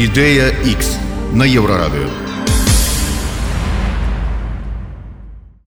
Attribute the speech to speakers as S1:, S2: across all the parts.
S1: Ідэя X на Еўрарадыё.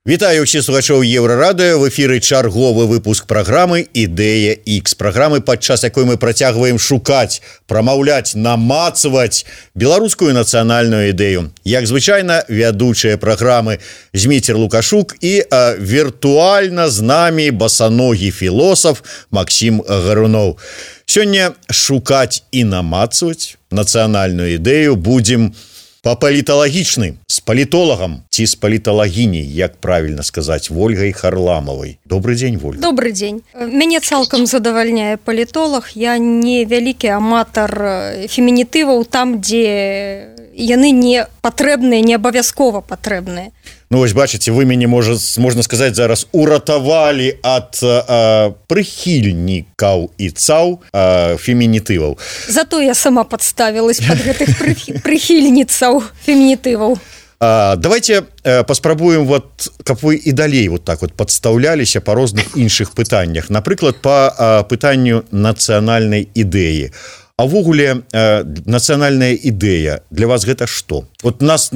S2: Вітаю ўсіх слухачоў Еўрарадыё. В эфіры чарговы выпуск праграмы «Ідэя X». Праграмы, падчас якой мы працягваем шукаць, прамаўляць, намацваць беларускую нацыянальную ідэю. Як звычайна, вядучыя праграмы Зміцер Лукашук і віртуальна з намі басаногі філосаф Максім Гаруноў. Сёння шукаць і намацваць нацыянальную ідэю будзем па-паліталагічны, з палітолагам ці з паліталагіняй, як правільна сказаць, Вольгай Харламавай. Добрый дзень, Вольга.
S3: Добрый дзень. Мяне цалкам задавальняе палітолаг. Я не вялікі аматар фемінітываў там, дзе яны не патрэбныя, не абавязкова патрэбныя.
S2: Ну, вось бачыце, вы мяне, можна сказаць, зараз уратавалі ад прыхільнікаў і цаў фемінітываў.
S3: Зато я сама падставілась пад гэтых прыхільніцаў фемінітываў.
S2: Давайте паспрабуем, каб вы і далей так падстаўляліся па розных іншых пытаннях. Напрыклад, па пытанню нацыянальнай ідэі. А ўвогуле, нацыянальная ідэя для вас гэта што? Нас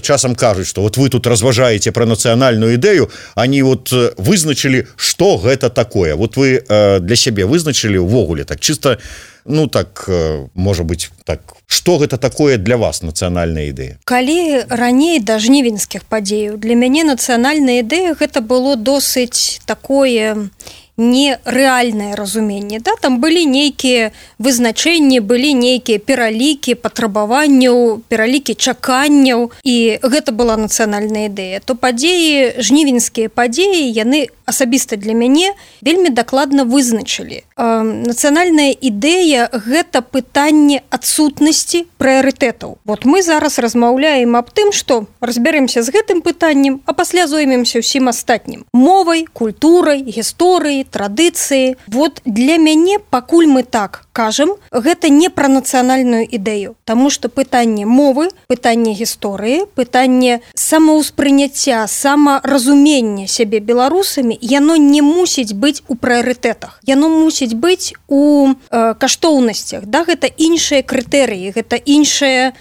S2: часам кажуць, што вы тут разважаеце пра нацыянальную ідэю, они вызначылі, што гэта такое. Вы для сябе вызначылі ўвогуле так чыста, можа быць так. Што гэта такое для вас нацыянальная ідэя?
S3: Калі раней да жнівеньскіх падзеяў, для мяне нацыянальная ідэя гэта было досыць такое нерэальнае разуменне. Там былі нейкія вызначэнні, былі нейкія пералікі патрабаванняў, пералікі чаканняў, і гэта была нацыянальная ідэя. То падзеі, жнівеньскія падзеі, яны асабіста для мяне вельмі дакладна вызначылі. Нацыянальная ідэя – гэта пытанне адсутнасці прыярытэтаў. Мы зараз размаўляем аб тым, што разбяремся з гэтым пытаннем, а пасля зоймемся ўсім астатнім. Мовай, культурай, гісторыяй, традыцыі. Для мяне, пакуль мы так кажам, гэта не пра нацыянальную ідэю, таму што пытанне мовы, пытанне гісторыі, пытанне самаўспрыняцця, самаразумення сябе беларусамі, яно не мусіць быць у прыярытэтах. Яно мусіць быць у каштоўнасцях. Гэта іншыя крытэрыі, гэта іншы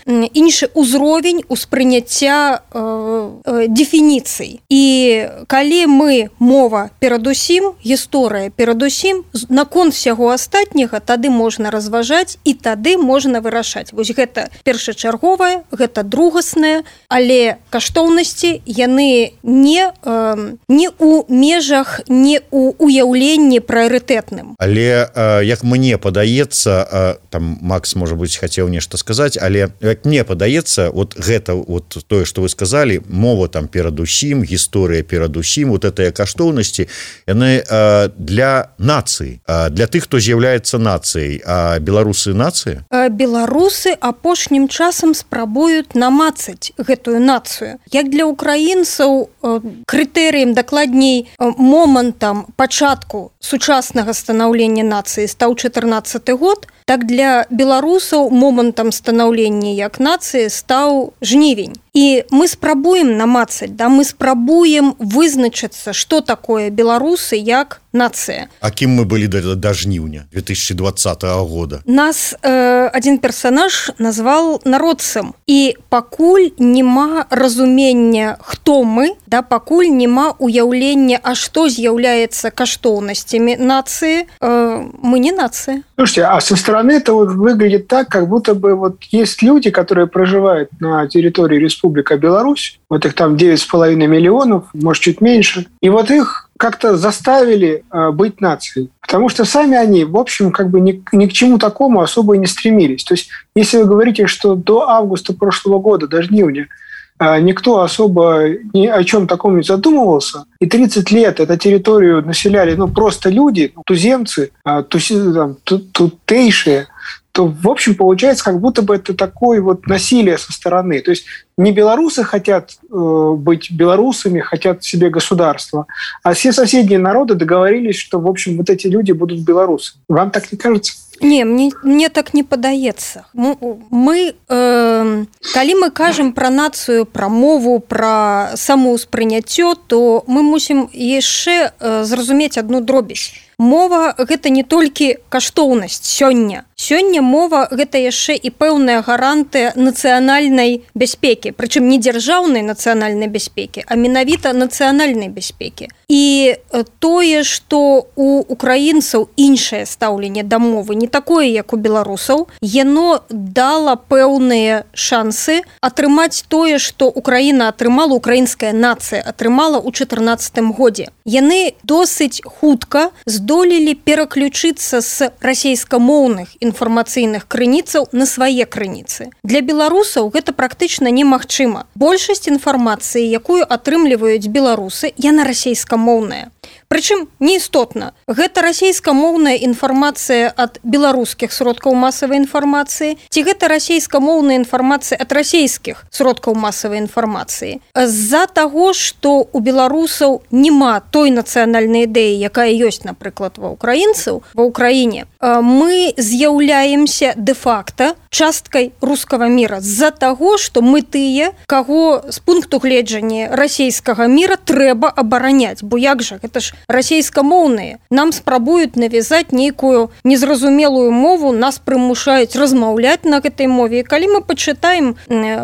S3: ўзровень успрыняцця дэфініцый. І калі мы мова перадусім, гісторыя перадусім, наконт всяго астатняга тады можна разважаць і тады можна вырашаць. Гэта першачарговае, гэта другаснае, але каштоўнасці яны не у межах, не у уяўленні прыярытэтным.
S2: Але як мне падаецца, там Макс, можа быць, хацеў нешта сказаць, але як мне падаецца, гэта тое, што вы сказалі, мова там перадусім, гісторыя перадусім, гэтыя каштоўнасці, яны для нацыі, для тых, хто з'яўляецца нацыяй. А беларусы нацыя?
S3: Беларусы апошнім часам спрабуюць намацаць гэтую нацыю. Як для украінцаў крытэрыем, дакладней момантам пачатку сучаснага станаўлення нацыі стаў 14 год, так для беларусаў момантам станаўлення як нацыі стаў жнівень. І мы спрабуем намацаць, мы спрабуем вызначыцца, што такое беларусы як нацыя.
S2: А кім мы былі да жніўня 2020 года?
S3: Нас адзін персанаж назваў народцам. І пакуль няма разумення, хто мы, пакуль няма уяўлення, а што з'яўляецца каштоўнасцямі нацыі, мы не нацыя.
S4: Слушайте, а со стороны это выглядит так, как будто бы есть люди, которые проживают на территории Республика Беларусь, их там 9,5 миллионов, может, чуть меньше, и их как-то заставили быть нацией. Потому что сами они, в общем, ни к чему такому особо и не стремились. То есть, если вы говорите, что до августа прошлого года, до жнивня, никто особо ни о чем таком не задумывался, и 30 лет эту территорию населяли просто люди, туземцы, тутейшие, то, в общем, получается, как будто бы это такое насилие со стороны. То есть не белорусы хотят быть белорусами, хотят себе государства, а все соседние народы договорились, что, в общем, эти люди будут белорусы. Вам так не кажется?
S3: Не, мне так не падаецца. Калі мы кажам пра нацыю, пра мову, пра самаўспрыняццё, то мы мусім яшчэ зразумець адну дробязь. Мова – гэта не толькі каштоўнасць сёння. Сёння мова гэта яшчэ і пэўная гарантыя нацыянальнай бяспекі, прычым не дзяржаўнай нацыянальнай бяспекі, а менавіта нацыянальнай бяспекі. І тое, што у украінцаў іншае стаўленне да мовы, не такое, як у беларусаў, яно дала пэўныя шансы атрымаць тое, што Украіна атрымала, украінская нацыя атрымала ў 2014 годзе. Яны досыць хутка здолелі пераключыцца з расейскамоўных інфармацыйных крыніцаў на свае крыніцы. Для беларусаў гэта практычна немагчыма. Большасць інфармацыі, якую атрымліваюць беларусы, яна расейскамоўная. Прычым неістотна, гэта расейскамоўная інфармацыя ад беларускіх сродкаў масавай інфармацыі, ці гэта расейскамоўная інфармацыя ад расейскіх сродкаў масавай інфармацыі. З-за таго, што у беларусаў няма той нацыянальнай ідэі, якая ёсць, напрыклад, ва украінцаў, ва ўкраіне, мы з'яўляемся дэ-факта часткай рускага міра з-за таго, што мы тыя, каго з пункту гледжання расейскага міра трэба абараняць, бо як жа, гэта ж расейскамоўныя. Нам спрабуюць навязаць нейкую незразумелую мову, нас прымушаюць размаўляць на гэтай мове. І калі мы пачытаем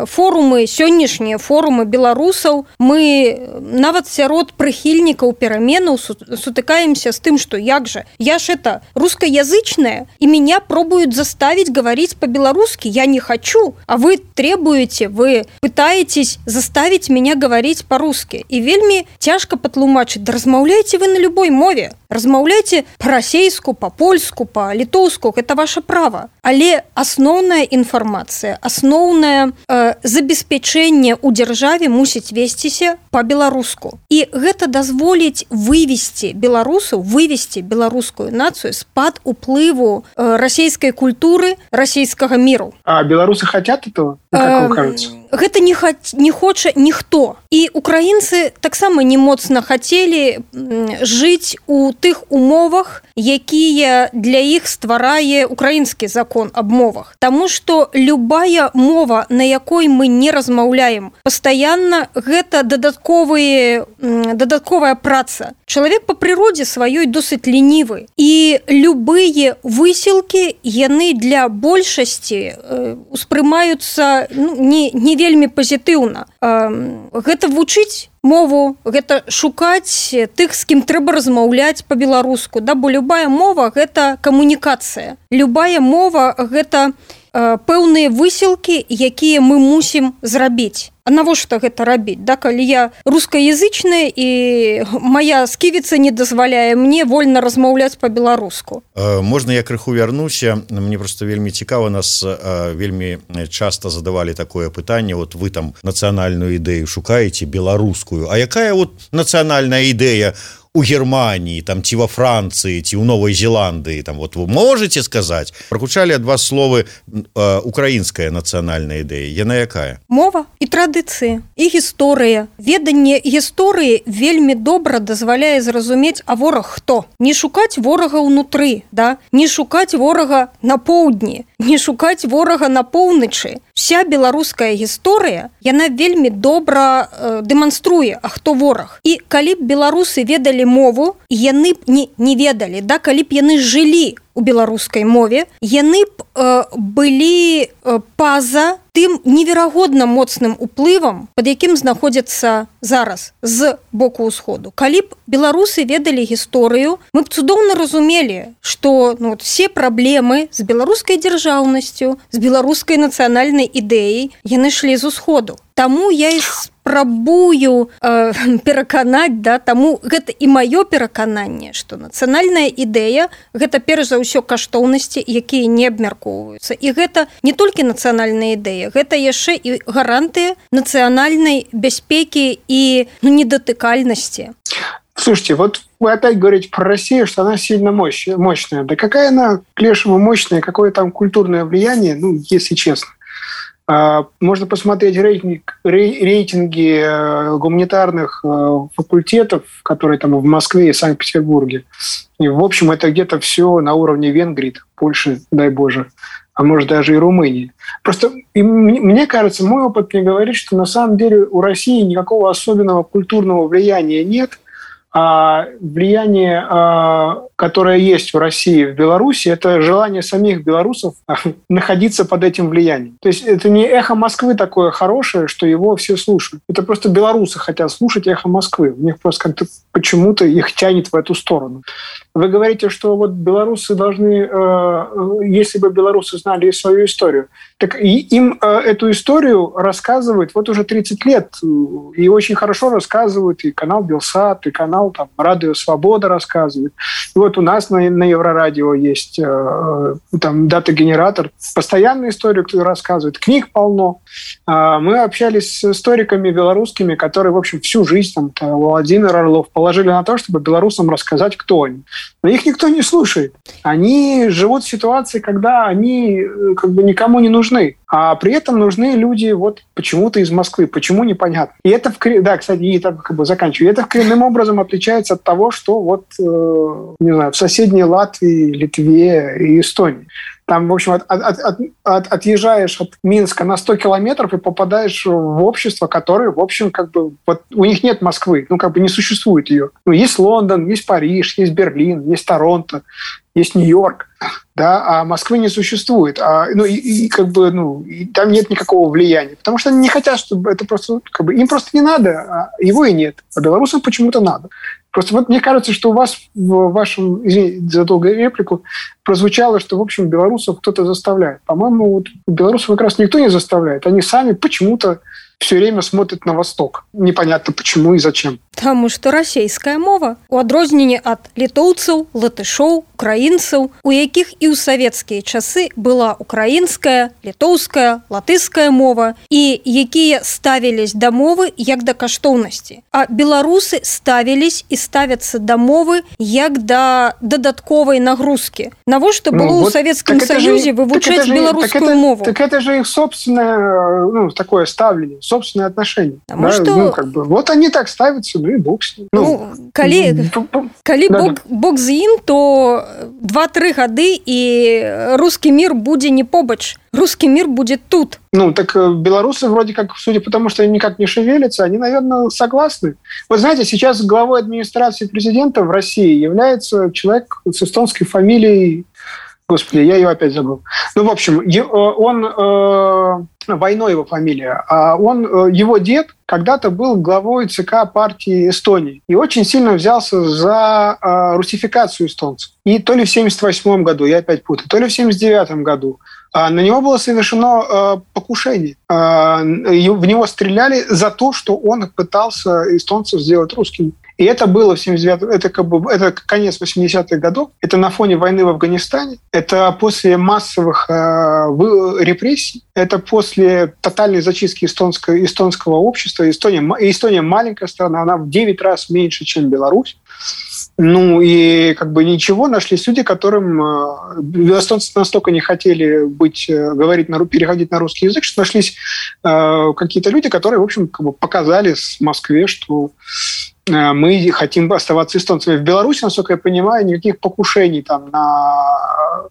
S3: форумы, сённяшнія форумы беларусаў, мы нават сярод прыхільнікаў пераменаў сутыкаемся з тым, што як жа, я ж это рускаязычная, и меня пробуют заставить говорить по-белорусски, я не хочу, а вы требуете, вы пытаетесь заставить меня говорить по-русски. І вельмі цяжка патлумачыць, да размаўляйце вы на любой мове, размаўляйце па-расейску, па-польску, па-літоўску, гэта ваше права. Але асноўная інфармацыя, асноўнае забеспячэнне ў дзяржаве мусіць весціся па-беларуску. І гэта дазволіць вывесці беларусаў, вывесці беларускую нацыю з-пад уплыву расійскай культуры, расійскага міру.
S4: А беларусы хотят этого? Как вам кажется?
S3: Гэта не хоча ніхто. І украінцы таксама не моцна хацелі жыць у тых умовах, якія для іх стварае украінскі закон аб мовах. Таму што любая мова, на якой мы не размаўляем, пастаянна гэта дадатковая праца. Чалавек па прыродзе сваёй досыць лінівы. І любыя высілкі, яны для большасці успрымаюцца не вельмі пазітыўна. Гэта вучыць мову, гэта шукаць тых, з кім трэба размаўляць па-беларуску, да, бо любая мова – гэта камунікацыя. Любая мова – гэта пэўныя высілкі, якія мы мусім зрабіць. А навошта гэта рабіць? Да, калі я рускаязычная і моя сківіца не дазваляе мне вольна размаўляць па-беларуску.
S2: Можна я крыху вярнуся? Мне просто вельмі цікава, нас вельмі часта задавалі такое пытанне, вот вы там нацыянальную ідэю шукаеце, беларускую, а якая вот нацыянальная ідэя у Германии, там, ці во Франции, ці у Новой Зеландии, там, вот вы можете сказать? Прагучалі ад вас словы украинская национальная идея. Яна якая?
S3: Мова і традыцыі, і гісторыя. Веданне гісторыі вельмі добра дазваляе зразумець, а вораг хто? Не шукаць ворага ўнутры, да? Не шукаць ворага на поўдні, не шукаць ворага на поўначы. Вся беларуская гісторыя, яна вельмі добра дэманструе, а хто вораг. І калі б беларусы ведалі мову, яны б не ведалі, да? Калі б яны жылі у беларускай мове, яны б былі па-за тым неверагодна моцным уплывам, пад якім знаходзяцца зараз з боку ўсходу. Калі б беларусы ведалі гісторыю, мы б цудоўна разумелі, што все праблемы з беларускай дзяржаўнасцю, з беларускай нацыянальнай ідэяй, яны шлі з усходу. Таму я і спрабую пераканаць, да, таму гэта і маё перакананне, што нацыянальная ідэя – гэта перш за ўсё каштоўнасці, якія не абмяркоўваюцца. І гэта не толькі нацыянальная ідэя, гэта яшчэ і гарантыя нацыянальнай бяспекі і недатыкальнасці.
S4: Слушайте, вот вы опять говорите про Россию, что она сильно мощная. Да какая она к лешему мощная, какое там культурное влияние, если честно. Можно посмотреть рейтинги гуманитарных факультетов, которые там в Москве и Санкт-Петербурге. И, в общем, это где-то все на уровне Венгрии, Польши, дай Боже, а может даже и Румынии. Просто мне кажется, мой опыт мне говорит, что на самом деле у России никакого особенного культурного влияния нет. А влияние, которое есть в России, в Беларуси, это желание самих белорусов находиться под этим влиянием. То есть это не эхо Москвы такое хорошее, что его все слушают. Это просто белорусы хотят слушать эхо Москвы. У них просто как-то почему-то их тянет в эту сторону. Вы говорите, что вот белорусы должны, если бы белорусы знали свою историю, так им эту историю рассказывают вот уже 30 лет. И очень хорошо рассказывают и канал Белсат, и канал там, Радио Свобода рассказывает. И вот у нас на Еврорадио есть там дата-генератор. Постоянную историю кто рассказывает. Книг полно. Мы общались с историками белорусскими, которые, в общем, всю жизнь, там, Владимир Орлов, положили на то, чтобы белорусам рассказать, кто они. Но их никто не слушает. Они живут в ситуации, когда они как бы никому не нужны. А при этом нужны люди вот почему-то из Москвы. Почему, непонятно. И это, да, кстати, и так как бы заканчиваю. И это коренным образом отличается от того, что вот, не знаю, в соседней Латвии, Литве и Эстонии. Там, в общем, отъезжаешь от Минска на 100 километров и попадаешь в общество, которое, в общем, как бы, вот у них нет Москвы, ну, как бы не существует ее. Ну, есть Лондон, есть Париж, есть Берлин, есть Торонто, есть Нью-Йорк, да, а Москвы не существует. Как бы, и там нет никакого влияния, потому что они не хотят, чтобы это просто, как бы, им просто не надо, а его и нет. А белорусам почему-то надо. Просто вот мне кажется, что у вас в вашем, извините за долгую реплику, прозвучало, что, в общем, белорусов кто-то заставляет. По-моему, вот белорусов как раз никто не заставляет. Они сами почему-то все время смотрят на восток. Непонятно почему и зачем.
S3: Таму што расейская мова, у адрозненне ад літоўцаў, латышоў, украінцаў, у якіх і ў савецкія часы была украінская, літоўская, латышская мова, і якія ставілись да мовы як да каштоўнасці. А беларусы ставілись і ставяцца да мовы як да дадатковай нагрузкі. Навошта было ў Савецкім Саюзе вывучаць беларускую мову?
S4: Так это же их собственное, такое ставление, собственное отношение.
S3: Потому что...
S4: вот они так ставятся, и бог с ним.
S3: Калі бог з ім, то 2-3 гады і русский мир будзе не побач. Русский мир будет тут.
S4: Так белорусы вроде как, судя по тому, что они никак не шевелятся, они, наверное, согласны. Вот знаете, сейчас главой администрации президента в России является человек с эстонской фамилией. Господи, я ее опять забыл. В общем, он... Войно его фамилия. А его дед когда-то был главой ЦК партии Эстонии и очень сильно взялся за русификацию эстонцев. И то ли в 1978 году, я опять путаю, то ли в 1979 году на него было совершено покушение. В него стреляли за то, что он пытался эстонцев сделать русскими. И это было в 79-м, это конец 80-х годов, это на фоне войны в Афганистане, это после массовых репрессий, это после тотальной зачистки эстонского общества. Эстония маленькая страна, она в 9 раз меньше, чем Беларусь. И как бы ничего, нашлись люди, которым эстонцы настолько не хотели переходить на русский язык, что нашлись какие-то люди, которые, в общем, как бы показали в Москве, что мы хотим оставаться эстонцами. В Беларуси, насколько я понимаю, никаких покушений там на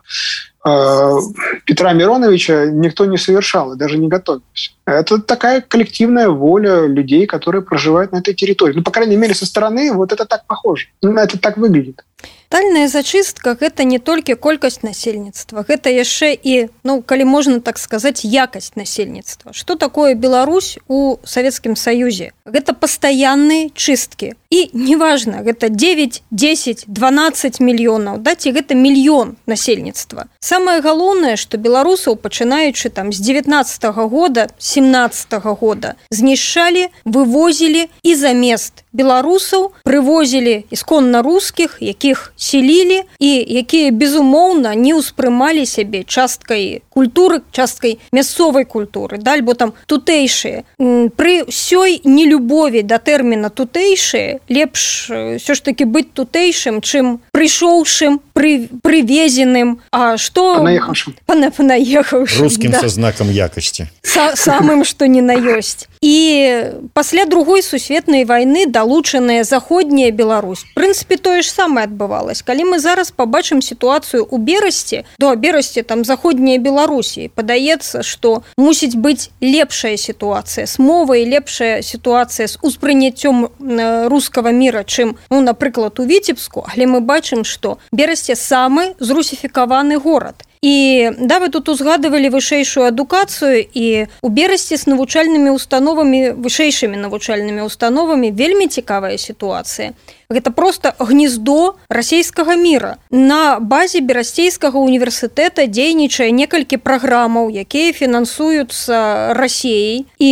S4: Петра Мироновича никто не совершал и даже не готовился. Это такая коллективная воля людей, которые проживают на этой территории. По крайней мере, со стороны вот это так похоже. Это так выглядит.
S3: Тотальная зачыстка – гэта не толькі колькасць насельніцтва, гэта яшчэ і, калі можна так сказаць, якасць насельніцтва. Што такое Беларусь у Савецкім Саюзе? Гэта пастаянныя чысткі. І неважна, гэта 9, 10, 12 мільёнаў, ці гэта мільён насельніцтва. Самае галоўнае, што беларусаў, пачынаючы з 19-го года, 17-го года, знішчалі, вывозілі і замест беларусаў прывозілі ісконна рускіх, якіх селілі і якія, безумоўна, не ўспрымалі сябе часткай культуры, часткай мясцовай культуры, альбо там тутэйшыя. Пры ўсёй нелюбові да тэрміна тутэйшыя лепш ўсё ж такі быць тутэйшым, чым прыйшоўшым, привезенным, а что
S4: понаехавшим.
S2: Русским со знаком якости.
S3: Самым, что ни на ёсць. І пасля другой сусветнай вайны далучаная заходняя Беларусь. В прынцыпе, тое ж самае адбывалось. Калі мы зараз пабачым сітуацыю ў Берасці, Берасці там заходняя Беларусі, падаецца, што мусіць быць лепшая сітуацыя з мовай, лепшая сітуацыя з успрыняццём рускага міра, чым, напрыклад, у Віцебску, але мы бачым, што Берасці самы зрусіфікаваны горад. І вы тут узгадывалі вышэйшую адукацыю, і у Берасці з навучальнымі установамі, вышэйшымі навучальнымі установамі вельмі цікавая сітуацыя. Гэта проста гнездо расійскага міра. На базе Берасцейскага універсітэта дзейнічае некалькі праграмаў, якія фінансуюцца Расіяй. І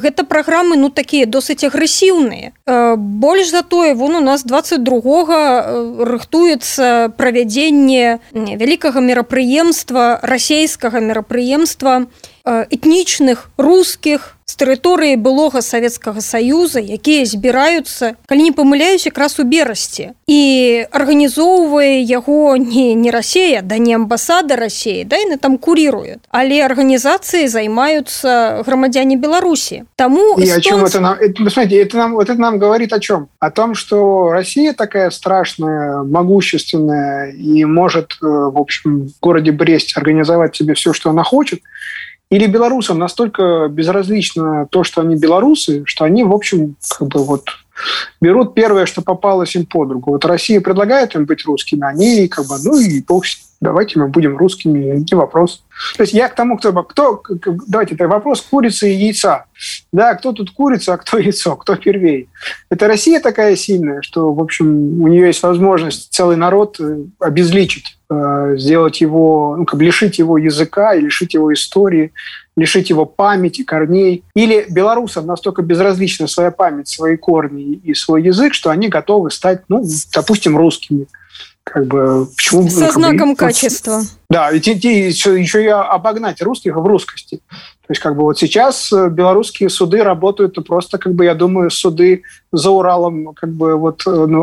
S3: гэта праграмы, такія досыць агрэсіўныя. Больш за тое, у нас 22-го рыхтуецца правядзенне вялікага мерапрыемства, расійскага мерапрыемства этнічных рускіх з тэрыторыі былога Савецкага Саюза, якія збіраюцца, калі не памыляюсь, якраз у Берасці. І арганізоўвае яго не Расія, не амбасада Расіі, яны там куріруюць, але арганізацыі займаюцца грамадзяне Беларусі. Таму
S4: и о чем это нам? Смотрите, это нам говорит о чем? О том, что Россия такая страшная, могущественная и может, в общем, в городе Брест организовать себе все, что она хочет. Или белорусам настолько безразлично то, что они белорусы, что они, в общем, берут первое, что попалось им под руку. Россия предлагает им быть русскими, они и бог с ним. Давайте мы будем русскими, не вопрос. То есть я к тому, давайте, это вопрос курицы и яйца. Да, кто тут курица, а кто яйцо, кто первей. Это Россия такая сильная, что, в общем, у нее есть возможность целый народ обезличить, сделать его, лишить его языка, лишить его истории, лишить его памяти, корней. Или белорусам настолько безразлична своя память, свои корни и свой язык, что они готовы стать, допустим, русскими. Почему?
S3: Со знаком качества.
S4: Да, еще и обогнать русских в русскости. То есть сейчас белорусские суды работают просто, я думаю, суды за Уралом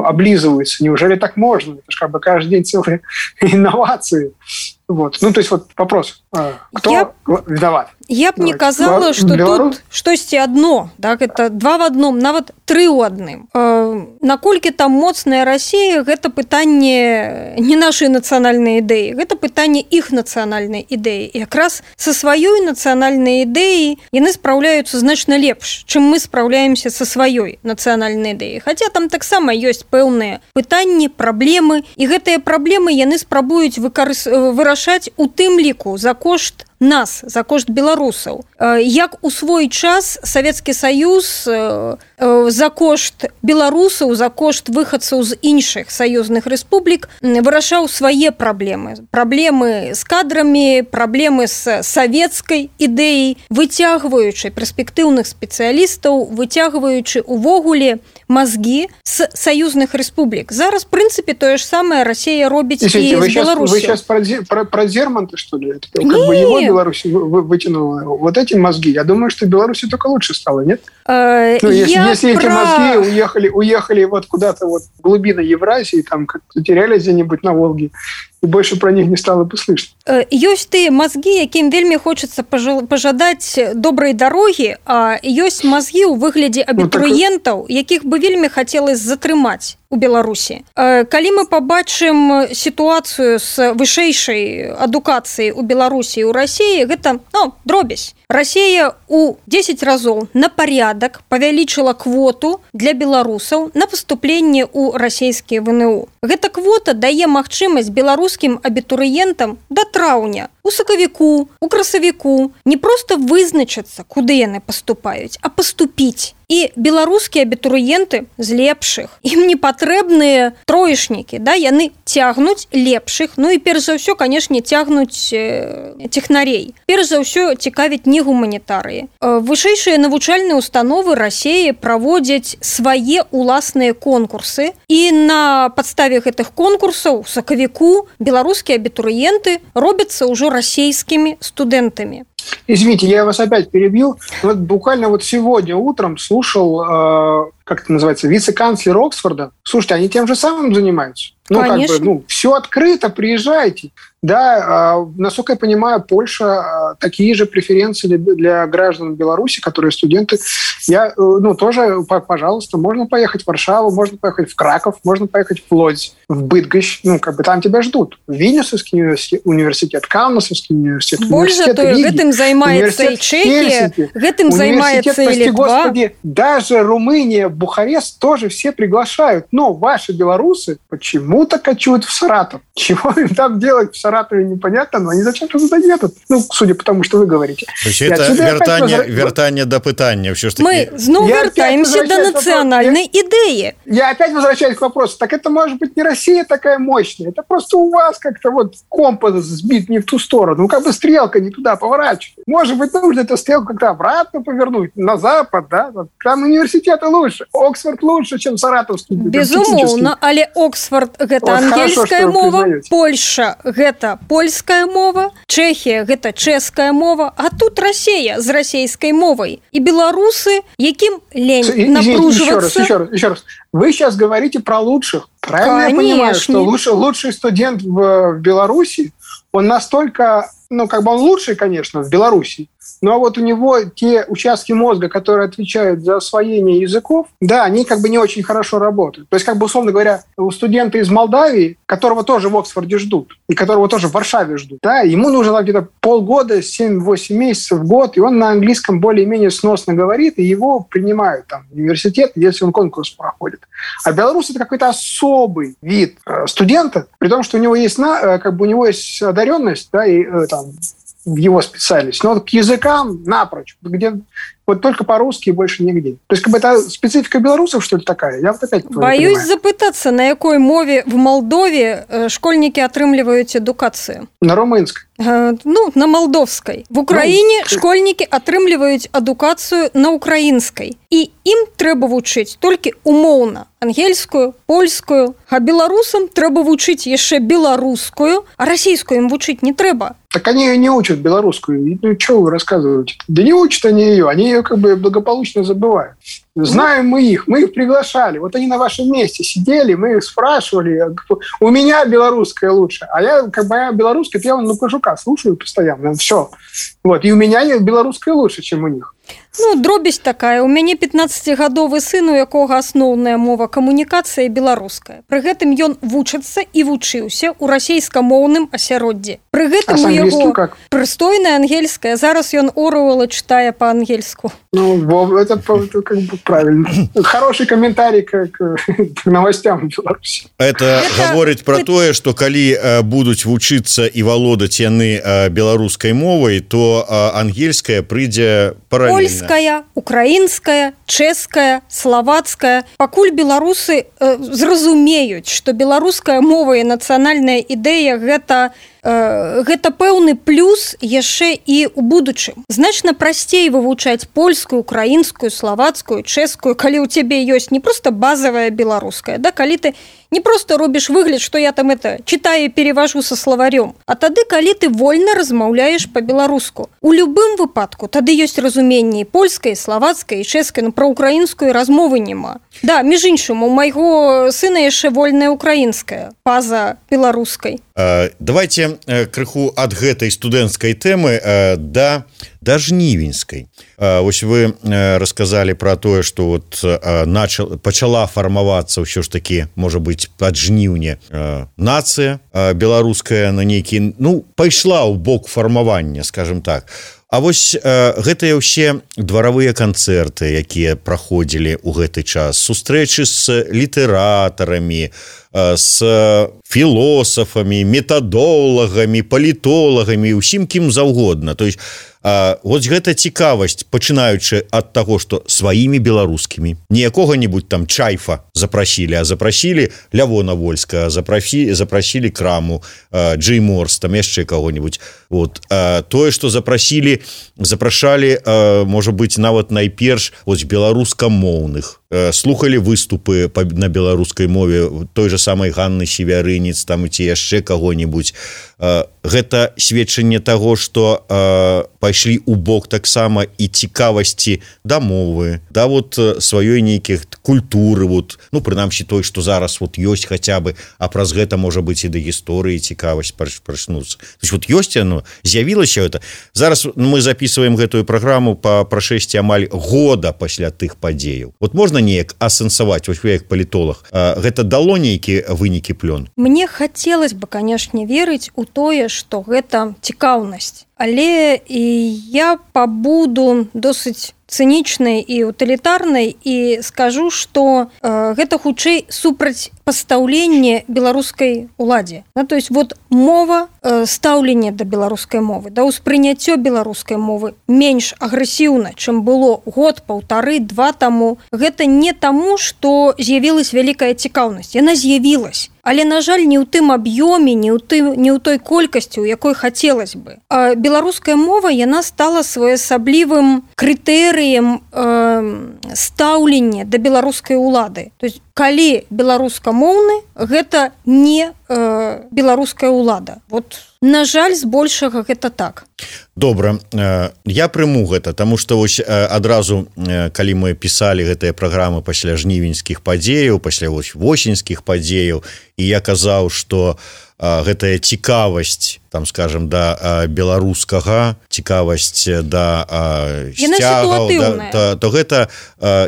S4: облизываются. Неужели так можно? Это же каждый день целые инновации. Вопрос. Кто виноват?
S3: Я б не казала, што тут штосьці адно, это два в адном, нават тры ў адным. Наколькі там моцная Расія, гэта пытанне не нашай нацыянальнай ідэі, гэта пытанне іх нацыянальнай ідэі. І якраз са сваёй нацыянальнай ідэяй яны спраўляюцца значна лепш, чым мы спраўляемся са сваёй нацыянальнай ідэяй. Хаця там таксама ёсць пэўныя пытанні, праблемы, і гэтыя праблемы яны спрабуюць вырашаць у тым ліку за кошт нас, за кошт беларусаў. Як у свой час Савецкі Саюз за кошт беларусаў, за кошт выхадцаў з іншых саюзных рэспублік вырашаў свае праблемы. Праблемы з кадрамі, праблемы з савецкай ідэяй, выцягваючы перспектыўных спецыялістаў, выцягваючы увогуле мазгі з саюзных рэспублік. Зараз, в прынцыпе, тое ж самае Расія робіць і з Беларусью.
S4: Вы сейчас про Зерманта, что ли? Его Беларусь вытянула вот эти мозги. Я думаю, что Беларуси только лучше стало, нет? Если эти мозги уехали куда-то в глубины Евразии, там как-то терялись где-нибудь на Волге, и больше про них не стало бы слышно.
S3: Ёсць тыя мазгі, якім вельмі хочацца пажадаць добрай дарогі, а ёсць мазгі ў выглядзе абітурыентаў, якіх бы вельмі хацелось затрымаць у Беларусі. Калі мы пабачым сітуацыю з вышэйшай адукацыяй у Беларусі і ў Расіі, гэта дробязь. Расія у 10 разоў на парядак павялічыла квоту для беларусаў на паступленне ў расійскія ВНУ. Гэта квота дае магчымасць беларускім абітурыентам да траўня, у сакавіку, у красавіку не проста вызначацца, куды яны паступаюць, а паступіць. І беларускія абітурыенты з лепшых, ім не патрэбныя троечнікі, яны цягнуць лепшых, і перш за ўсё, канешне, цягнуць тэхнарей. Перш за ўсё цікавіць не гуманітарыі. Вышэйшыя навучальныя установы Расіі праводзяць свае уласныя конкурсы, і на падставе гэтых конкурсаў у сакавіку беларускія абітурыенты робяцца ўжо расійскімі студэнтамі.
S4: Извините, я вас опять перебью. Вот буквально вот сегодня утром слушал, как это называется, вице-канцлер Оксфорда. Слушайте, они тем же самым занимаются? Ну,
S3: Конечно.
S4: как бы, все открыто, приезжайте. Да, насколько я понимаю, Польша такие же преференции для граждан Беларуси, которые студенты. Я, тоже, пожалуйста, можно поехать в Варшаву, можно поехать в Краков, можно поехать в Лодзь, в Быдгощ. Там тебя ждут. Вильнюсовский университет, Каунасовский университет,
S3: Больше того, гэтым займаецца и Чехия, гэтым займается и Литва.
S4: Господи, даже Румыния, Бухарест тоже все приглашают. Но ваши белорусы почему-то кочуют в Саратов. Чего им там делать в Саратове, непонятно, но они зачем-то туда едут. Судя по тому, что вы говорите.
S2: То есть это вертание до пытания.
S3: Мы снова вертаемся до национальной идеи.
S4: Я опять возвращаюсь к вопросу. Так это может быть не Россия такая мощная. Это просто у вас как-то компас сбит не в ту сторону. Стрелка не туда поворачивает. Может быть, нужно эту стрелку как-то обратно повернуть, на запад, да? Там университеты лучше. Оксфорд лучше, чем Саратовский.
S3: Безумовно, але Оксфорд – гэта ангельская мова, Польша – гэта польская мова, Чехия – гэта чэшская мова, а тут Россия с российской мовой. И белорусы, яким лень напруживаться.
S4: Еще раз. Вы сейчас говорите про лучших. Правильно я понимаю, что лучший студент в Беларуси, он настолько, он лучший, конечно, в Беларуси, но вот у него те участки мозга, которые отвечают за освоение языков, да, они не очень хорошо работают. То есть, условно говоря, у студента из Молдавии, которого тоже в Оксфорде ждут, и которого тоже в Варшаве ждут, да, ему нужно где-то полгода, 7-8 месяцев, год, и он на английском более-менее сносно говорит, и его принимают в университет, если он конкурс проходит. А белорус – это какой-то особый вид студента, при том, что у него есть, у него есть одаренность, да, и в его специальность, но к языкам напрочь, где только по-русски и больше нигде. То есть это специфика белорусов, что ли, такая? Я опять
S3: боюсь запытаться, на якой мове в Молдове школьники атрымліваюць адукацыю?
S4: На румынской.
S3: На молдовской. В Украине школьники атрымліваюць адукацыю на украинской. И им трэба вучыць толькі умоўна ангельскую, польскую, а беларусам трэба вучыць яшчэ беларускую, а расійскую им вучыць не трэба.
S4: Так они ее не учат, белорусскую. Что вы рассказываете? Да не учат они ее благополучно забывают. Знаем мы их приглашали. Вот они на вашем месте сидели, мы их спрашивали. У меня белорусская лучше. А я, моя белорусская, я на Кожука слушаю постоянно. Все. И у меня белорусская лучше, чем у них.
S3: Дробязь такая. У мяне 15гадовы сын, у якога асноўная мова камунікацыя беларуская. Пры гэтым ён вучыцца і вучыўся ў расейскамоўным асяроддзі. Пры гэтым у яго прыстойная ангельская. Зараз ён Оруэлла читае по-ангельску.
S4: Это правильно. Хороший комментарий к новостям в Беларуси.
S2: Это говорит про тое, что калі будуць вучыцца і валодаць яны беларускай мовай, то ангельская прыйдзе параллельна.
S3: Польская, украинская, чэшская, словацкая. Пакуль беларусы зразумеюць, што беларуская мова і нацыянальная ідэя гэта пэўны плюс яшчэ і ў будучым. Значна прасцей вывучаць польскую, украінскую, словацкую, чэшскую, калі ў цябе ёсць не просто базовая беларуская, да, калі ты не просто робіш выгляд, што я там читаю і перевожу со словарем, а тады, калі ты вольна размаўляеш по-беларуску. У любым выпадку тады ёсць разуменне польскай, словацкай, чэшскай, но про украінскую размовы няма. Да, між іншым, у майго сына яшчэ вольная украінская, па-за беларускай.
S2: Давайте крыху ад гэтай студэнцкай тэмы да жнівеньскай. Вось вы рассказалі про тое, што пачала фармавацца ўсё ж такі, можа быць, ад жніўня нацыя беларуская на нейкі, пайшла ў бок фармавання, скажем так. А вось гэтыя ўсе дваравыя канцэрты, якія праходзілі ў гэты час, сустрэчы з літаратарамі, з філосафамі, метадолагамі, палітолагамі, усім кім заўгодна. То есть вось гэта цікавасць, пачынаючы ад таго, што сваімі беларускімі, не якога-нибудь там Чайфа запрасілі, а запрасілі Лявона Вольска, запрасілі Краму, Джей Морс, там яшчэ каго-нибудь. Тое, што запрашалі, можа быць, нават найперш беларускамоўных слухали выступы на беларускай мове той же самой Ганны Севярынец там ці яшчэ каго-нибудь, гэта сведчанне таго, што пайшлі ў бок таксама і цікавасці да мовы, да вот сваёй нейкіх культуры, вот, ну прынамсі той, што зараз вот ёсць хаця бы, а праз гэта можа быць і да гісторыі цікавасць прачнуцца. То есть вот ёсць оно, з'явілася это. Зараз мы записываем гэтую праграму па прашэсці амаль года пасля тых падзеяў. Вот можна неяк асэнсаваць, вось вы як палітолог, гэта дало нейкі вынікі плён?
S3: Мне хацелось бы, канешне, верыць у тое, што гэта цікаўнасць. Але і я пабуду досыць цынічнай і утылітарнай і скажу, што гэта хутчэй супрацьпастаўленне беларускай уладзе. То есть вот мова, стаўленне да беларускай мовы, да ўспрыняццё беларускай мовы менш агрэсіўна, чым было год, паўтары, два таму. Гэта не таму, што з'явілась вялікая цікаўнасць. Яна з'явілась. Але, на жаль, не ў тым аб'ёме, не ў той колькасці, у якой хацелось бы. Беларуская мова, яна стала своеасаблівым крытэрыем стаўлення да беларускай улады. То есть, калі беларускамоўны, гэта не беларуская улада. Вот, на жаль, збольшага гэта так.
S2: Добра, я прыму гэта, таму што вось адразу, калі мы пісалі гэтыя праграмы пасля жнівеньскіх падзеяў, пасля восеньскіх падзеяў, і я казаў, што гэтая цікавасць, там, скажем, да беларускага, цікавасць да сцягаў, то гэта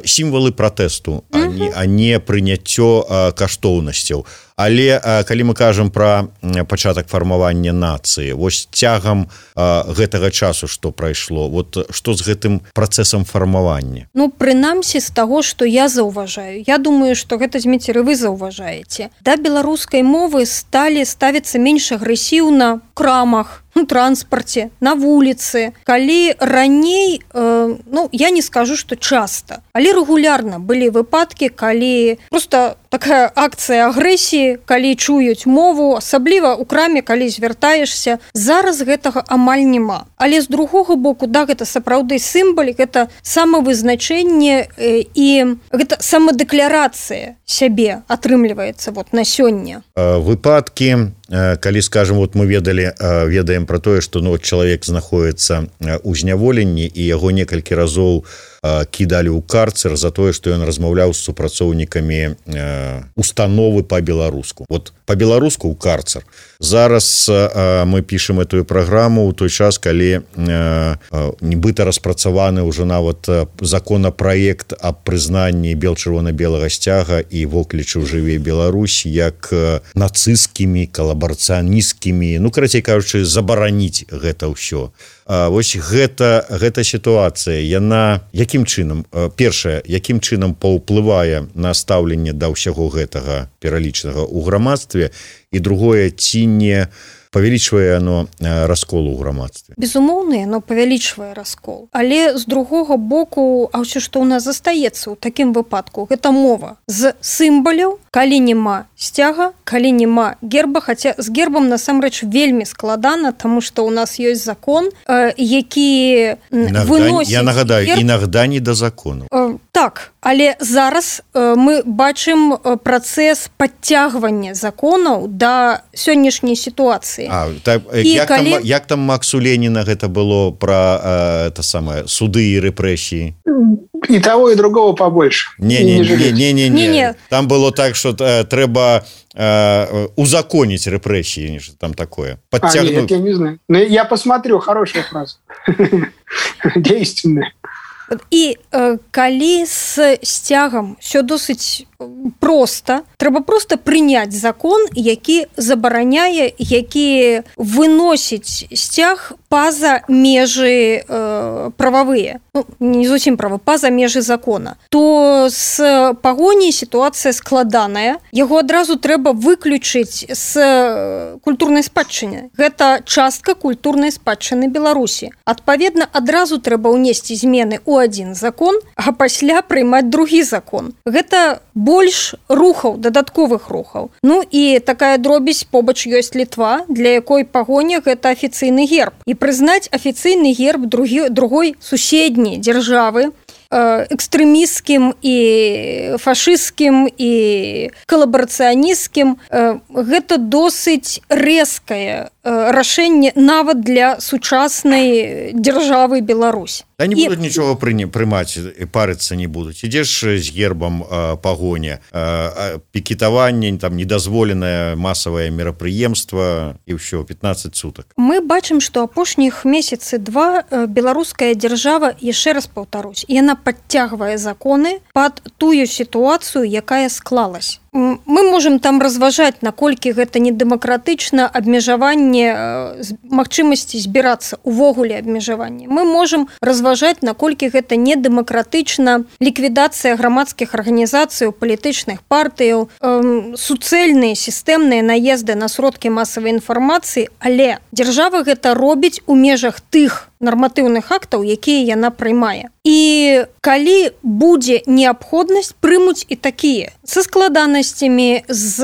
S2: сімвалы пратэсту, а не прыняццё каштоўнасцяў. Але калі мы кажам пра пачатак фармавання нацыі, вось цягам гэтага часу, што прайшло, вот што з гэтым працэсам фармавання?
S3: Ну, прынамсі, з таго, што я заўважаю. Я думаю, што гэта, Зміцер, і вы заўважаеце. Да беларускай мовы сталі ставіцца менш агрэсіўна ў крамах, у транспарце, на вуліцы. Калі раней, я не скажу, што часта, але рэгулярна былі выпадкі, калі просто такая акцыя агрэсіі, калі чуюць мову, асабліва ў краме, калі звяртаешся. Зараз гэтага амаль няма. Але з другога боку, да, гэта сапраўды сімвалік, гэта самавызначэнне і гэта самадэкларацыя сябе атрымліваецца вот на сёння.
S2: Выпадкі, калі, скажем, вот мы ведаем про тое, што чалавек знаходіцца ў зняволенні і яго некалькі разоў кідалі ў карцер за тое, што ён размаўляў з супрацоўнікамі установы па-беларуску. Вот па-беларуску ў карцер. Зараз мы пішем эту праграму ў той час, калі нібыта распрацаваны ўжо нават законапраект аб прызнанні бел-чырвона-белага сцяга і воклічу «Жыве Беларусь» як нацысцкімі, калабарацыянісцкімі, карацей кажучы, забараніць гэта ўсё. Вось гэта сітуацыя, яна якім чынам, першае, якім чынам паўплывае на стаўленне да ўсяго гэтага пералічанага ў грамадстве, і другое, ці не павялічвае оно раскол у грамадстве?
S3: Безумоўна, оно павялічвае раскол. Але з другога боку, а ўсё, што ў нас застаецца ў такім выпадку, гэта мова з сімваляў, калі няма сцяга, калі няма герба, хаця з гербам насамрэч вельмі складана, таму што ў нас ёсць закон, які выносіць...
S2: Я нагадаю, інагда не да закону.
S3: Так, але зараз мы бачым працэс падцягвання законаў да сённяшняй сітуацыі.
S2: Як там Максу Леніна гэта было пра суды і рэпрэсіі?
S4: И того, и другого побольше.
S2: Не. Там было так, что трэба узаконить репрессии, там такое.
S4: Нет, я не знаю. Но я посмотрю, хорошая фраза. Действенная.
S3: І калі з сцягам все досыць проста, трэба просто прыняць закон, які забараняе, які выносіць сцяг па-за межы прававыя, не зусім правы, па-за межы закона, то з пагоняй сітуацыя складаная, яго адразу трэба выключыць з культурнай спадчыны. Гэта частка культурнай спадчыны Беларусі. Адпаведна, адразу трэба ўнесці змены ў адзін закон, а пасля прыймаць другі закон. Гэта больш рухаў, дадатковых рухаў. Ну і такая дробязь, побач ёсць Літва, для якой пагоня гэта афіцыйны герб. І прызнаць афіцыйны герб другой суседняй дзяржавы экстрэмісцкім і фашысцкім і калабарацыянісцкім. Гэта досыць рэзкае рашэнне нават для сучаснай дзяржавы Беларусь.
S2: Да не будуць нічога прымаць, парыцца не будуць. Ідзеш з гербам пагоня, пікетаванне, там недазволенае масавае мерапрыемства і ўсё, 15 сутак.
S3: Мы бачым, што апошніх месяцы два беларуская дзяржава, яшчэ раз паўтарусь, яна падцягвае законы пад тую сітуацыю, якая склалась. Мы можам там разважаць, наколькі гэта недэмакратычна, абмежаванне магчымасці збірацца, увогуле абмежаванне. Мы можам разважаць, наколькі гэта недэмакратычна, ліквідацыя грамадскіх арганізацый, палітычных партыяў, суцэльныя сістэмныя наезды на сродкі масавай інфармацыі, але дзяржава гэта робіць у межах тых нарматыўных актаў, якія яна прымае. І калі будзе неабходнасць, прымуць і такія са складанасцямі, з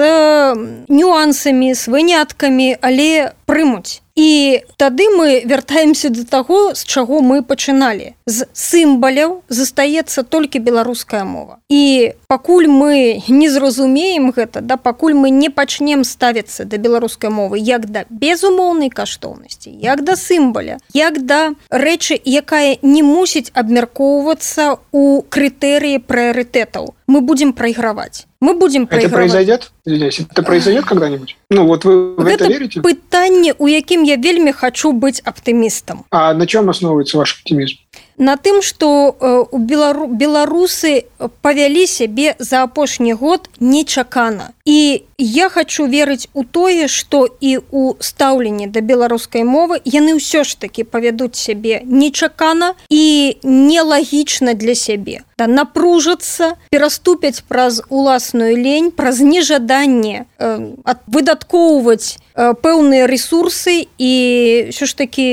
S3: нюансамі, з выняткамі, але прымуць. І тады мы вяртаемся да таго, з чаго мы пачыналі. З сімваляў застаецца толькі беларуская мова. І пакуль мы не зразумеем гэта, да, пакуль мы не пачнем ставіцца да беларускай мовы як да безумоўнай каштоўнасці, як да сімваля, як да рэчы, якая не мусіць абмяркоўвацца ў крытэрыі прыярытэтаў, мы будем прайграваць. Мы будем проигрывать.
S4: Это произойдет когда-нибудь? Ну, вот вы в это верите?
S3: Это пытанне, у якім я вельмі хочу быть оптимистом.
S4: А на чем основывается ваш оптимизм?
S3: На тым, што беларусы павялі сябе за апошні год нечакана. І я хочу верыць у тое, што і ў стаўленні да беларускай мовы яны ўсё ж такі павядуць сябе нечакана і нелагічна для сябе. Да, напружацца, пераступяць праз уласную лень, праз нежаданне выдаткоўваць пэўныя рэсурсы і ўсё ж такі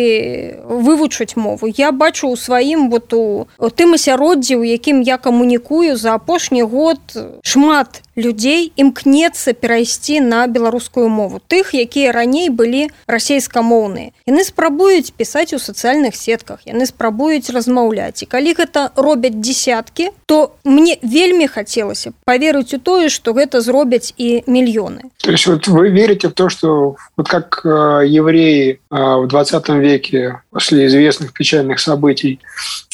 S3: вывучыць мову. Я бачу ў сваім вот у тым асяроддзі, у якім я камунікую за апошні год, шмат людзей імкнецца перайсці на беларускую мову. Тых, якія раней былі расейскамоўныя. Яны спрабуюць пісаць у сацыяльных сетках, яны спрабуюць размаўляць. І калі гэта робяць дзесяткі, то мне вельмі хацелася поверыць у тое, што гэта зробяць і мільёны.
S4: То есть вот вы верите в то, что вот как евреи в 20 веке после известных печальных событий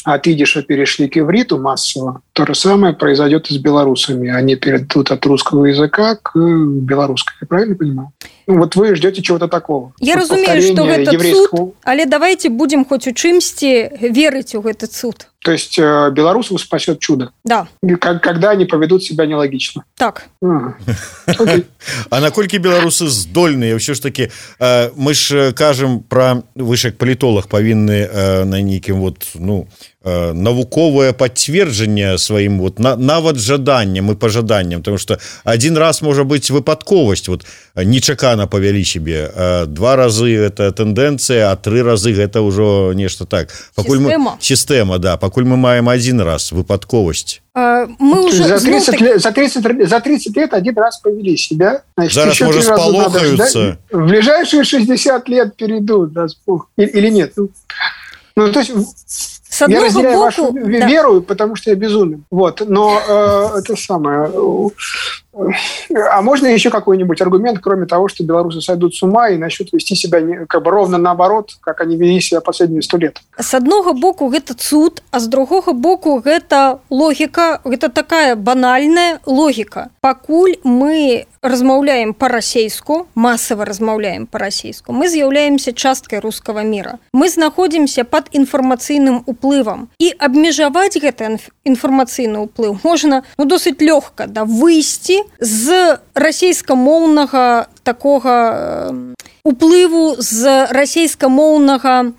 S4: от идиша перешли к ивриту массово, то же самое произойдет и с белорусами. Они перейдут от русского языка к белорусскому. Я правильно понимаю? Ну, вот вы ждете чего-то такого.
S3: Я разумею, что это цуд, але давайте будем хоть у чымсьці верыць у гэты цуд.
S4: То есть белорусов спасет чудо?
S3: Да.
S4: Когда они поведут себя нелогично?
S3: Так.
S2: А наколькі беларусы здольныя? Ўсё ж таки, мы ж кажам пра, вы ж як палітолог павінны на нейкім вот, ну, навуковае пацверджанне сваім вот нават жаданням і пажаданням, потому что один раз можа быць выпадковасць, вот нечакана павялі сябе, 2 разы это тэндэнцыя, а 3 разы гэта ўжо нешта так. Сістэма, да, пакуль мы маем один раз выпадковасць.
S3: Мы уже
S4: за 30 лет один раз повели себя. Значит,
S2: зараз, может, сполохаются.
S4: В ближайшие 60 лет перейдут. Да, или нет? Ну, то есть... Я разделяю вашу веру, потому что я безумен. Вот. Но это самое... А можно еще какой-нибудь аргумент, кроме того, что белорусы сойдут с ума и начнут вести себя как бы ровно наоборот, как они вели себя последние 100 лет?
S3: С одного боку гэта цуд, а с другого боку гэта логика, гэта такая банальная логика. Пакуль мы размаўляем па-расейску, масава размаўляем па-расейску, мы з'яўляемся часткай рускага мира. Мы знаходзімся пад інфармацыйным уплывам. І абмежаваць гэты інфармацыйны ўплыў можна, ну, досыць лёгка, да, выйсці з расейскамоўнага такога уплыву, з расейскамоўнага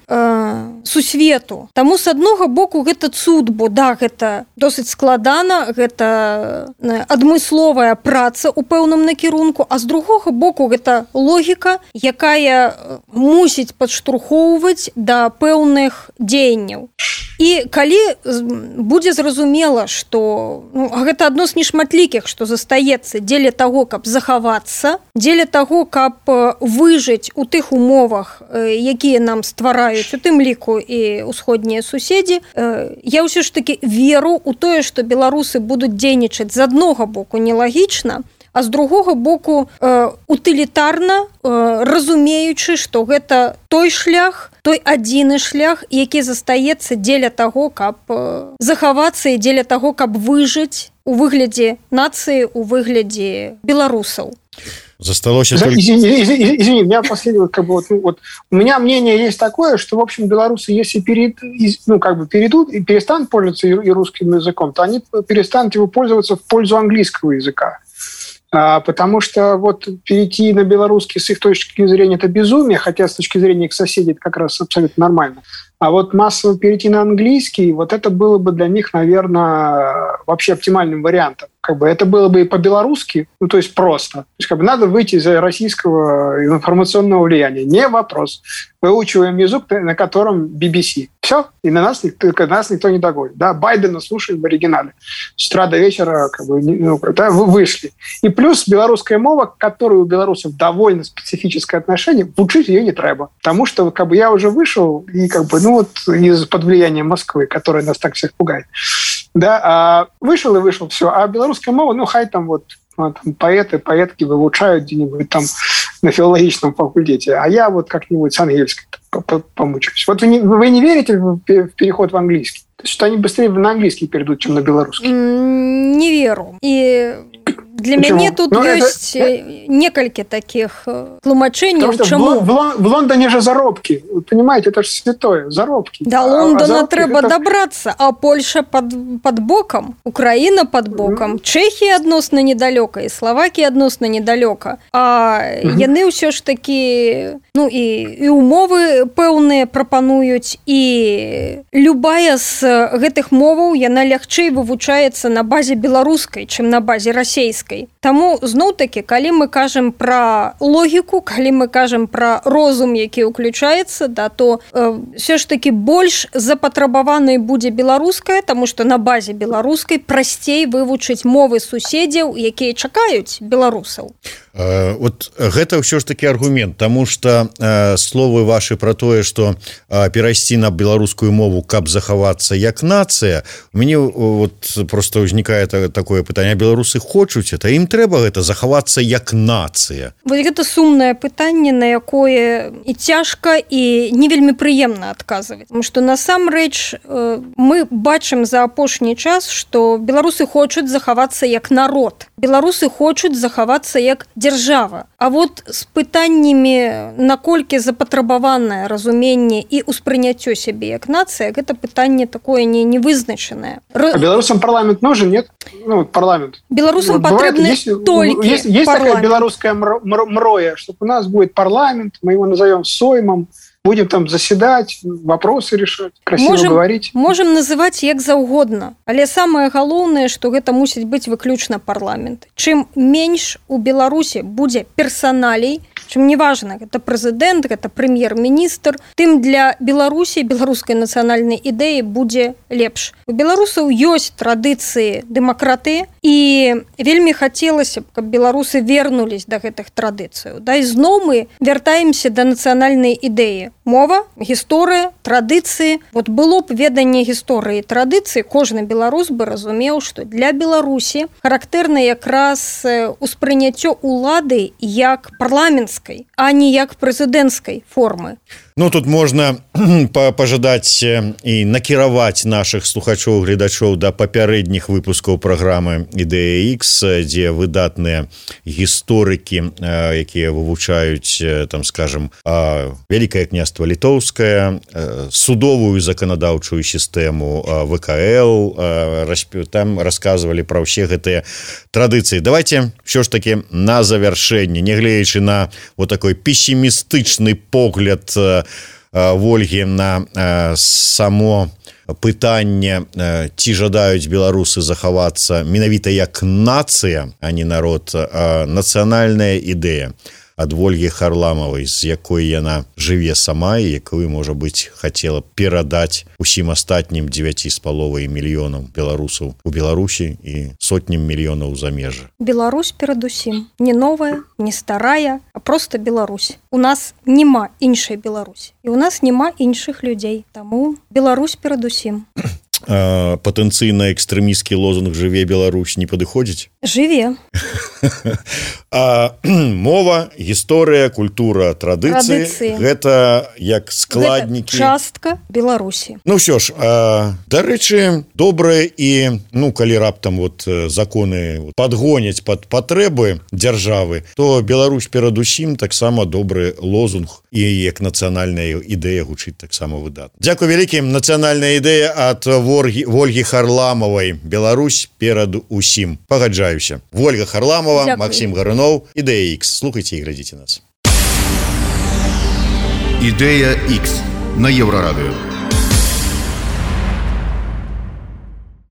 S3: сусвету. Таму з аднаго боку гэта цуд, бо да, гэта досыць складана, гэта адмысловая праца ў пэўным накірунку, а з другога боку гэта логіка, якая мусіць падштурхоўваць да пэўных дзеянняў. І калі будзе зразумела, што гэта адно з нешматлікіх, што застаецца дзеля таго, каб захавацца, дзеля таго, каб выжыць у тых умовах, якія нам ствараюць, у тым ліку і ўсходнія суседзі, я ўсё ж такі веру ў тое, што беларусы будуць дзейнічаць з аднога боку нелагічна, а з другога боку утылітарна, разумеючы, што гэта той шлях, той адзіны шлях, які застаецца дзеля таго, каб захавацца і дзеля таго, каб выжыць у выглядзе нацыі, у выглядзе беларусаў.
S2: Засталось...
S4: Извини, у меня последнее, у меня мнение есть такое, что, в общем, белорусы, если перейдут и перестанут пользоваться и русским языком, то они перестанут его пользоваться в пользу английского языка. Потому что вот перейти на белорусский с их точки зрения это безумие, хотя с точки зрения их соседей это как раз абсолютно нормально. А вот массово перейти на английский, вот это было бы для них, наверное, вообще оптимальным вариантом. Это было бы и по-белорусски, то есть просто. То есть надо выйти из российского информационного влияния. Не вопрос. Выучиваем язык, на котором BBC. Все, и на нас никто не догонит. Да? Байдена слушаем в оригинале. С утра до вечера вышли. И плюс белорусская мова, к которой у белорусов довольно специфическое отношение, учить ее не треба. Потому что я уже вышел и из-под влияния Москвы, которая нас так всех пугает. Да, вышел, все. А белорусская мова, хай там поэты, поэтки выучают где-нибудь там на филологическом факультете, а я как-нибудь с ангельской помучаюсь. Вы не верите в переход в английский? Что они быстрее на английский перейдут, чем на белорусский?
S3: Не веру. И для мяне тут ёсць некалькі таких тлумачэнняў. Чаму?
S4: В Лондоне же заробки. Вы понимаете, это же святое. Заробки.
S3: До Лондона трэба добраться, а Польша под боком, Украина под боком, Чехія адносна недалёка і Словакія адносна недалёка. А яны ўсё ж такі, і умовы пэўныя прапануюць, і любая з гэтых моваў, яна лягчэй вывучаецца на базе беларускай, чым на базе расейскай. Таму, зноў-такі, калі мы кажам пра логіку, калі мы кажам пра розум, які ўключаецца, то все ж такі больш запатрабаванай будзе беларуская, таму што на базе беларускай прасцей вывучыць мовы суседзяў, якія чакаюць беларусаў.
S2: Вот гэта ўсё ж такі аргумент, таму што словы вашы пра тое, што перайсці на беларускую мову, каб захавацца як нацыя, у мяне просто ўзнікае такое пытанне: беларусы хочуць это, ім трэба гэта захавацца як нацыя?
S3: Гэта сумнае пытанне, на якое і цяжка, і не вельмі прыемна адказваць, тому што насамрэч мы бачым за апошні час, што беларусы хочуць захавацца як народ, беларусы хочуць захавацца як дзяржава. А з пытаннямі, наколькі запатрабаванае разуменне і ўспрыняццё сябе як нацыя, гэта пытанне такое невызначанае.
S4: А беларусам парламент нужен, нет? Парламент.
S3: Беларусам патрэбны толькі
S4: есть такая белорусская мроя, что у нас будет парламент, мы его назовем Соймом, будем там заседать, вопросы решать, красиво говорить.
S3: Можем называть як заўгодна, але самае галоўнае, што гэта мусіць быць выключна парламент. Чым менш у Беларусі будзе персоналей, чым неважна, гэта прэзідэнт, гэта прэм'ер-міністр, тым для Беларусі, беларускай нацыянальнай ідэі будзе лепш. У беларусаў ёсць традыцыі дэмакратыі, і вельмі хацелася б, каб беларусы вернулись да гэтых традыцыяў. І зноў мы вяртаемся да нацыянальнай ідэі. Мова, гісторыя, традыцыі. Было б веданне гісторыі і традыцыі, кожны беларус бы разумеў, што для Беларусі характэрна якраз успрыняццё улады як парламенцкай, а не як прэзідэнцкай формы.
S2: Тут можна пажадаць і накіраваць нашых слухачоў, гледачоў да папярэдніх выпускаў праграмы «Ідэя Х», дзе выдатныя гісторыкі, якія вывучаюць, Вялікае княства Літоўскае, судовую заканадаўчую сістэму ВКЛ, там расказвалі пра ўсе гэтыя традыцыі. Давайте ўсё ж такі на завяршэнне, нягледзячы на такой песімістычны погляд Вольгі на само пытанне, ці жадаюць беларусы захавацца менавіта як нацыя, а не народ, нацыянальная ідэя. ад Вольгі Харламавай, з якой яна жыве сама і якую, можа быць, хацела перадаць усім астатнім 9,5 мільёнам беларусаў у Беларусі і сотням мільёнаў замежжа.
S3: Беларусь перадусім. Не новая, не старая, а просто Беларусь. У нас няма іншай Беларусі. І у нас няма іншых людзей. Таму Беларусь перадусім.
S2: Патэнцыйна экстрэмісцкі лозунг «Жыве Беларусь» не падыходзіць?
S3: Жыве.
S2: Мова, гісторыя, культура, традыцыі – гэта як складнікі.
S3: Гэта частка Беларусі.
S2: Ну ўсё ж, дарэчы, добрае і, калі раптам законы падгоняць пад патрэбы дзяржавы, то Беларусь перадусім таксама добры лозунг і як нацыянальная ідэя гучыць таксама выдатна. Дзякуй вялікім. Нацыянальная ідэя ад Вольгі Харламавай. Беларусь перад усім. Пагаджаюся. Вольга Харламова,
S3: Дякую.
S2: Максим Гарунов, Ідэя X. Слухайте і глядзіце нас.
S1: Ідэя X на Еврорадио.